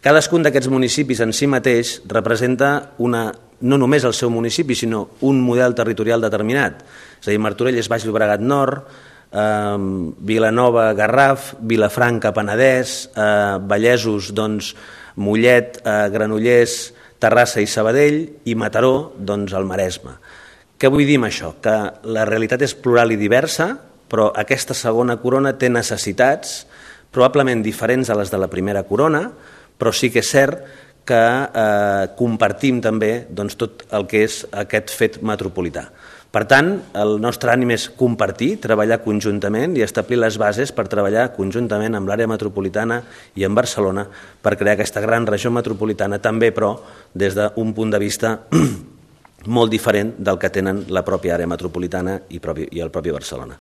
Cadascun d'aquests municipis en si mateix representa no només el seu municipi, sinó un model territorial determinat. És a dir, Martorell és Baix Llobregat Nord, Vilanova, Garraf, Vilafranca, Penedès, Vallesos, Mollet, Granollers, Terrassa i Sabadell, i Mataró, el Maresme. Què vull dir amb això? Que la realitat és plural i diversa, però aquesta segona corona té necessitats probablement diferents a les de la primera corona, però sí que és cert que compartim també tot el que és aquest fet metropolità. Per tant, el nostre ànim és compartir, treballar conjuntament i establir les bases per treballar conjuntament amb l'àrea metropolitana i amb Barcelona per crear aquesta gran regió metropolitana, també però des d'un punt de vista molt diferent del que tenen la pròpia àrea metropolitana i el propi Barcelona.